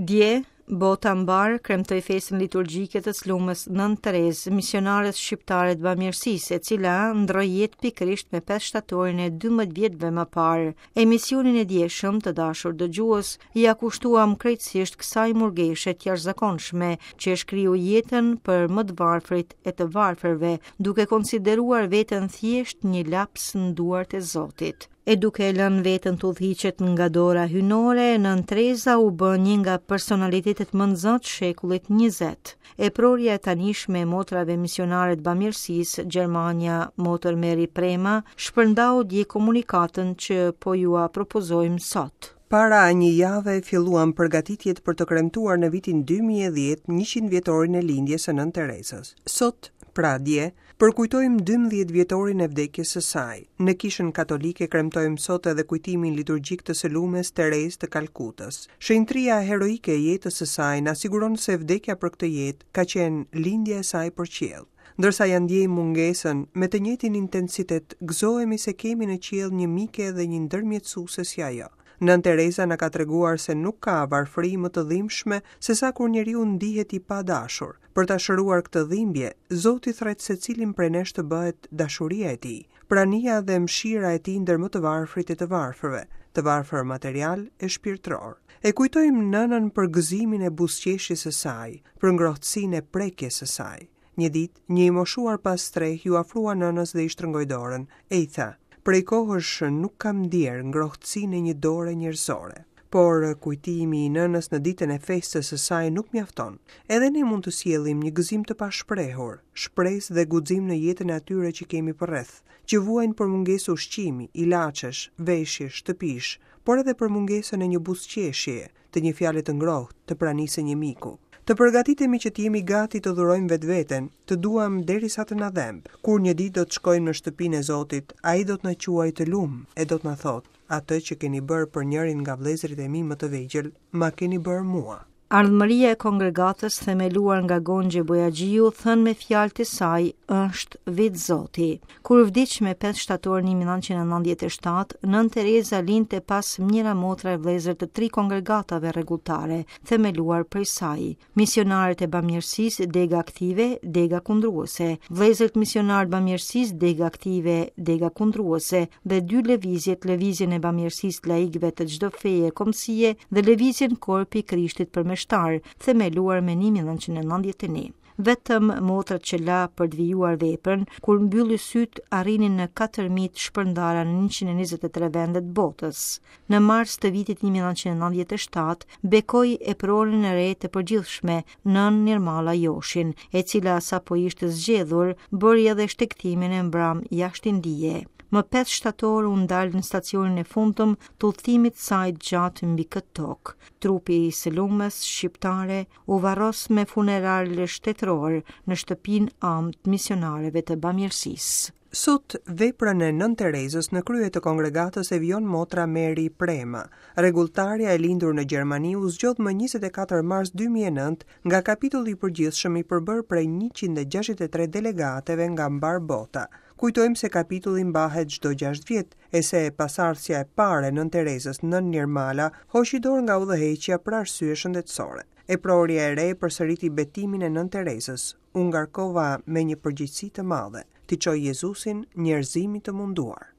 Dje, bota mbarë kremtoi festën liturgjike të së lumës Nënë Terezë, misionares shqiptare të bamirësisë, e cila ndërroi jetë pikërisht me 5 shtatorin e 12 vjetëve më parë. Emisionin e djeshëm, të dashur dëgjues, ia kushtuam krejtësisht kësaj murgeshe të jashtëzakonshme që e shkriu jetën për më të varfrit e të varfërve, duke konsideruar veten thjesht një laps në duart e Zotit. E duke e lënë veten të udhëhiqet nga dora hyjnore, Nënë Tereza u bë një nga personalitetet më në zë të shekullit 20. Eprorja e tanishme e motrave misionare të bamirësisë, gjermanja motër Meri Prema, shpërndau dje komunikatën që po jua propozojmë sot. Para një jave filluam përgatitjet për të kremtuar në vitin 2010 100 vjetorin e lindjes së Nënë Terezës. Sot, pra dje, Përkujtojmë 12 vjetorin e vdekjes së saj. Në Kishën Katolike kremtojmë sot edhe kujtimin liturgjik të së lumes Terezë të Kalkutës. Shenjtëria heroike e jetës së saj na siguron se vdekja për këtë jetë ka qenë lindja e saj për qiell. Ndërsa ia ndjejmë mungesën, me të njëjtin intensitet gëzohemi se kemi në qiell një mike dhe një ndërmjetësuese si ajo. Nënë Tereza na ka treguar se nuk ka varfëri më të dhimbshme sesa kur njeriu ndihet i padashur. Për ta shëruar këtë dhimbje, Zoti thërret secilin prej nesh të bëhet dashuria e tij, prania dhe mëshira e tij ndër më të varfrit e të varfërve, të varfër material e shpirtëror. E kujtojmë nënën për gëzimin e buzëqeshjes së saj, për ngrohtësinë e prekjes së saj. Një ditë, një i moshuar pa strehë iu afrua nënës dhe i shtrëngoi dorën, e i tha, Prej kohësh nuk kam ndier ngrohtësinë e një dore njerëzore. Por kujtimi i nënës në ditën e festës së saj nuk mjafton. Edhe ne mund të sjellim një gëzim të pashprehur, shpresë dhe guxim në jetën e atyre që kemi përreth, që vuajnë për mungesë ushqimi, ilaçesh, veshjesh, shtëpish, por edhe për mungesën e një buzëqeshjeje, të një fjale të ngrohtë, të pranisë së një miku. Të përgatitemi që të jemi gati të dhurojmë vetveten, të duam derisa të na dhemb. Kur një ditë do të shkojmë në shtëpinë e Zotit, ai do të na quajë të lumë e do të na thotë, atë që keni bërë për njërin nga vëllezërit e mi më të vegjël, ma keni bërë mua. Ardhmëria e kongregatës themeluar nga Gonxhe Bojaxhiu, thënë me fjalët e saj, është vetë Zoti. Kur vdiq me 5 shtator 1997, Nënë Tereza linte pas mijëra motra e vëllezër të tri kongregatave rregulltare, themeluar prej saj. Misionarët e Bamirësisë, dega aktive, dega kundruese, Vëllezërit Misionarë të Bamirësisë, dega aktive, dega kundruese dhe dy lëvizjet, Lëvizjen e Bamirësisë të Laikëve të çdo feje e kombësie dhe Lëvizjen Korpi i Krishtit për Meshtarë, themeluar me 1991. Vetëm motrat që la për të vijuar veprën, kur mbylli sytë arrinin në 4.000 të shpërndara në 123 vende të botës. Në mars të vitit 1997, bekoi eproren e re të përgjithshme, Nënë Nirmala Joshin, e cila sapo ishte zgjedhur, bëri edhe shtegtimin e mbramë jashtë Indie. Më 5 shtator u ndal në stacionin e fundëm të udhëtimit të saj të gjatë mbi këtë tokë. Trupi i së lumes shqiptare u varros me funeral shtetëror në shtëpinë amë të misionareve të bamirësisë. Sot, veprën e Nënë Terezës në krye të kongregatës e vijon motra Meri Prema. Rregulltarja e lindur në Gjermani u zgjodh më 24 mars 2009 nga kapitulli i përgjithshëm i përbërë prej 163 delegateve nga mbarë bota. Kujtojmë se kapitulli mbahet çdo 6 vjet, e se pasardhësja e parë e Nënë Terezës, Nënë Nirmala, hoqi dorë nga udhëheqja për arsye shëndetësore. Eprorja e re përsëriti betimin e Nënë Terezës, U ngarkova me një përgjegjësi të madhe, t'i çoj Jezusin njerëzimit të munduar.